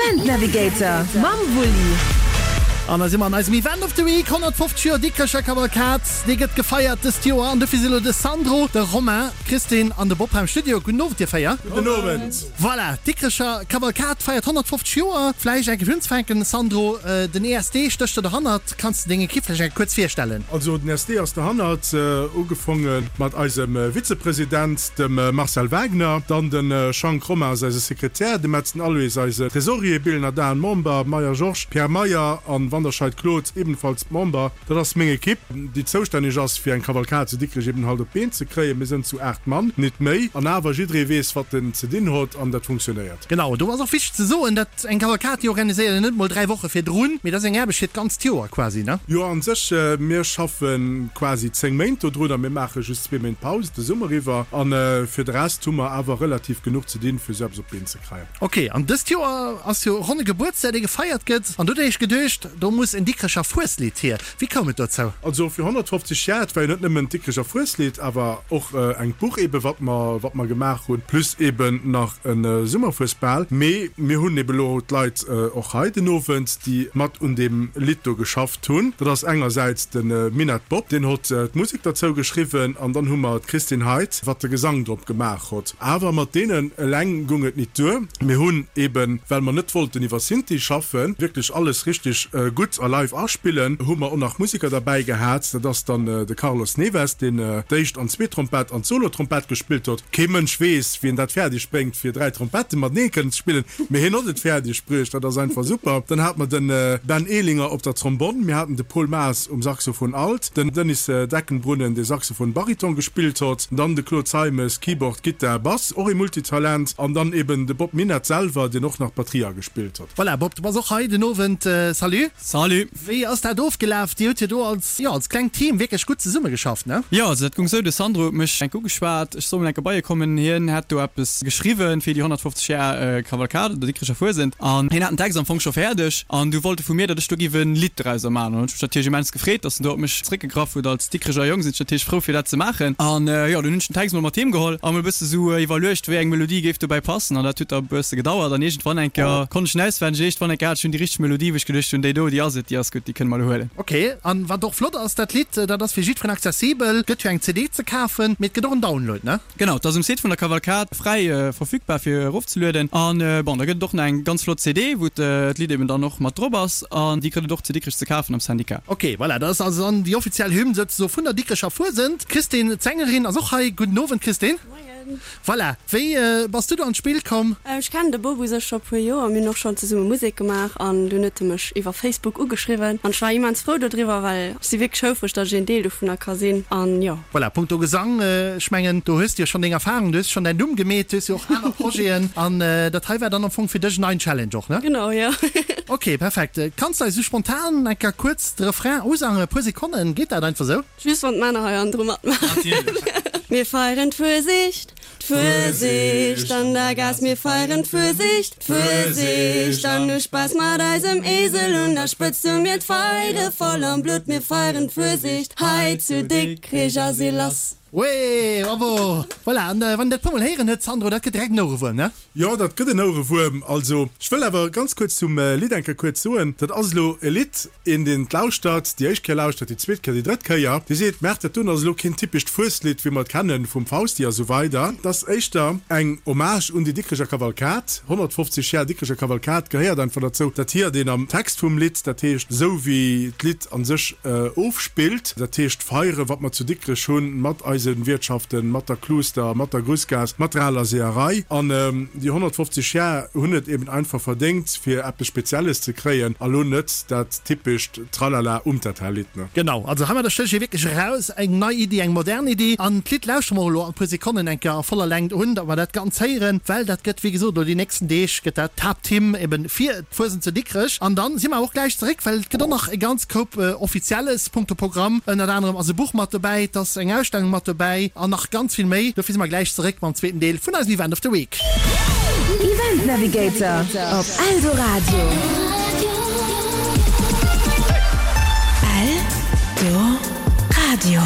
Event Navigator mam Wulli. An da si mer an eisem Event of the Week, 150 Joer Dikrecher Kavalkad, dee gëtt gefeiert dëst Joer. An dofir si lo de Sandro, de Romain, d'Christine an de Bob hei am Studio. Gudden Owend dir 4. Gudden Owend. Voilà, d'Dikrecher Kavalkad feiert 150 Joer. Vläicht eng Kéier fir unzefänken, Sandro, den ESD stécht do derhannert. Kanns de deng Ekipp vläicht eng Kéier kuerz virstellen? Also den ESD ass derhannert, ugefonge mat eisem Vizepresident, dem Marcel Wagner, dann de Schank Romain ass eise Sekretär, de Metzen Aloyse eise Tresorier, Billener Dan Member, Meyer Georges, Pierre Meyer an Wanderscheid Claude ebenfalls Member. Dat ass meng Ekipp, déi zoustänneg ass fir eng Kavalkad zu Dikrech eben halt op d'Been ze kréien. Mir sënn zu 8 Mann, nit méi, an awer jidderee weess wat en ze dinn hot an dat funktionéiert. Genau, do ass och wichteg ze soen, dat eng Kavalkad déi organiséiert een net mol 3 Woche virdrun, mee dat ass eng Aarbecht fir d'ganzt Joer quasi, ne? Jo, an sech, mir schaffe quasi 10 Méint dodrun a mir maache just zwee Méint Paus de Summer iwwer an fir de Rest hu mer awer relativ genuch ze dinn fir sou eppes op d'Been ze kréien. Ok, an dëst Joer ass jo ronne Gebuertsdag dee gefeiert gëtt an do hunn ech geduecht, do muss en Dikrecher Fueslidd hier. Wéi koum et dozou? Also fir 150 Jar, et war jo net nëmmen d'Dikrecher Fueslidd, awer och engt Buch eben wat mer wat mer gemaach hunn, plus eben nach e Summerfuesbal. Mee mir hunn eben elo d'Leit och hei den Owend, déi mat un deem Lidd do geschafft hunn. Dat ass engersäits de Minett Bob, deen hott d'Musek derzou geschriwwen, an dann hu mer d'Christine Heidt, wat de Gesang drop gemaach hott. Awer mat deenen eleng gung et nit duer. Mir hunn eben, well mer net wollten iwwer Synthi schaffen, wierklech alles richteg gutt a live aspillen, hu mer och nach Musiker derbäi gehat. Dat ass dann de Carlos Neves, deen d'éischt an zweet Trompett an d'Solo-Trompett gespillt hott. Kee Mënsch weess, wéi en dat fäerdeg bréngt, fir 3 Trompette matenee kënnen ze spillen, mee hien hott et fäerdeg bruecht. Dat ass einfach super. Dann hate mer de Ben Ehlinger op der Trombonn, mir haten de Paul Maas um Saxophon Alt, den Denis Deckenbrunnen, dee Saxophon Bariton gespillt hott, dann de Claude Zeimes, Keyboard, Gittar, Bass, och ee Multitalent, an dann eben de Bob Minett selwer, deen och nach d'Batterie agespillt hott. Voilà, Bob, du bass och hei den Owend. Salut. Salut. Wéi ass dat ofgelaf? Dir hutt jo do als, jo, als klengt Team wierklech gutt zesummegeschafft, ne? Jo, also dat gung sou, de Sandro huet mech enk ugeschwat, ech soll mol enke bei e kommen, hien hätt do eppes geschriwwen fir déi 150 Jar Kavalkad oder Dikrecher Fuesent an hien hat den Text am Fong scho fäerdeg an du wollt e vu mir, datt ech do giff en Lidd drauser man. An hunn ech mech natierlech immens gefreet, datt en do op mech zréckgegraff huet. Als Dikrecher Jong sinn ech natierlech frou fir dat ze maachen an jo, dunn hunn ech den Text mol mat heem geholl a mol e bësse sou iwwerluecht, wéi eng Melodie géif dobäi passen an dat huet da e bësse gedauert an iergendwann enker konnt ech en auswenneg, iergendwann enker hat ech dunn déi richteg Melodie, wou ech geduecht hunn, déi do, déi ass et, déi ass gutt, déi kënne mer elo huelen. Ok, an wat och flott ass, dat Lidd, dat ass fir jiddferen accessibel, gëtt jo eng CD ze kafen, mee et gëtt och en Download, ne? Genau, et ass um Site vun der Kavalkad fräi verfügbar fir erofzelueden. An bon, da gëtt et och nach eng ganz flott CD, wou d'Lidd eben dann och mat drop ass. An déi kritt et och zu Dikrech ze kafen am Syndicat. Ok, voilà, dat ass also dann déi offiziell Hymn souzesoe vun der Dikrecher Fuesent. D'Christine, d'Sängerin, ass och hei. Gudden Owend, Christine. Moien. Voilà, wéi bass du do an d'Spill komm? Ech kennen de Bob u sech scho puer Joer, mir hunn och schonn zesumme Musek gemaach an dunn huet e mech iwwer Facebook ugeschriwwen an ech war immens frou dodriwwer, well ech si wierklech houfreg, datt ech een Deel dovunner ka sinn an jo. Voilà, punkto Gesang, ech mengen do hues de jo schonn deng Erfahrung, du hues schonn däin Numm gemeet, du hues jo och aner Projeten an dat hei war dann am Fong fir dech en neien Challenge och, ne? Genau, jo. Ok, perfekt. Kanns de eis esou spontan eng Kéier kuerz de Refrain usangen, e puer Sekonnen, geet dat einfach esou? Just wann d'Männer hei hannendru matmaachen. Natierlech. Mir feieren d'Fuesicht, D'Fuesicht an der Gaass, mir feieren d'Fuesicht, d'Fuesicht an hu Spaass mat eisem Esel un der Spëtzt hu mir d'Feide voll am Blutt, mir feieren d'Fuesicht hei zu Dikrich a si lass. Wee, bravo! Voilà, an wann een dat puer mol héieren huet, Sandro, dat gëtt direkt en Ouerewuerm, ne? Jo, dat gëtt en Ouerewuerm. Also, ech wëll awer ganz kuerz zum Lidd eng Kéier kuerz soen, dat ass elo e Lidd, Een deen lauschtert, déi éischt Kéier lauschtert, déi zweet Kéier, déi drëtt Kéier, dee seet, Merkt, dat doen ass elo keen typescht Fueslidd, wéi mer et kennen vum Fausti a sou weider. Et ass éischter eng Hommage un déi Dikrecher Kavalkad. 150 Jar Dikrecher Kavalkad gehéiert einfach derzou. Dat hiert een am Text vum Lidd, dat heescht esou wéi d'Lidd a sech ofspillt, dat heescht d'Feiere wat mer zu Dikrech hunn, mat eise Wiertschaften, mat der Kluster, mat der Grussgaass, mat der aler Seeërei. An déi 150 Jar hunn et eben einfach verdéngt, fir eppes Spezielles ze kréien a lo net dat typescht Tralala Umtata-Lidd, ne? Genau, also heimadder stécht ee wierklech eraus, eng nei Iddi, eng modern Iddi. An d'Lidd lauschtere mer och elo an e puer Sekonnen eng Kéier a voller Längt un, datt mer dat Ganz héieren, well dat gëtt, wéi gesot, elo déi nächsten Deeg gëtt dat d'Haapthymn eben fir d'Fuesent zu Dikrech. An dann si mer awer och gläich zeréck, well et gëtt och nach e ganz Koup Offizielles punkto Programm. Ënnert anerem ass e Buch mat dobäi, et ass eng Ausstellung mat dobäi an nach ganz vill méi. Dofir si mer gläich zeréck mam zweeten Deel vun eisem Event of the Week. Event Navigator op Eldoradio. Eldoradio.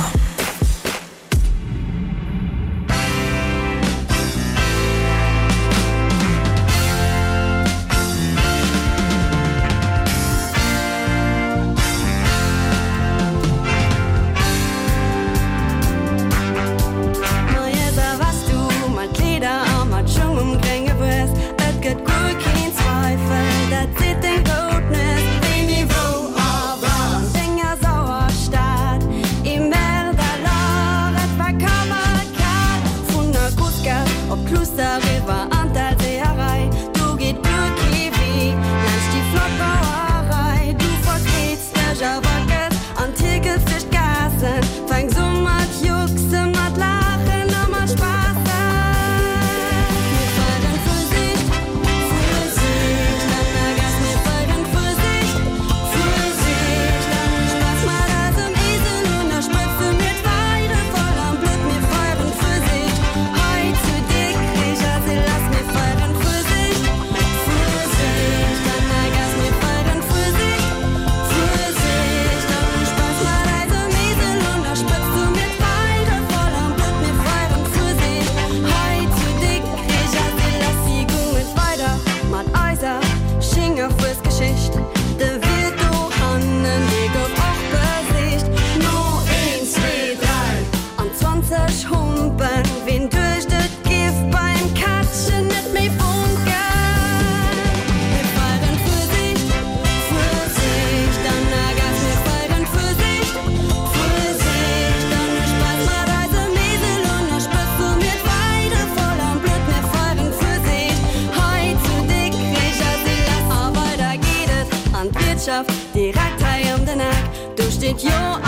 Uertschaft, direkt hei ëm den Eck, do steet jo.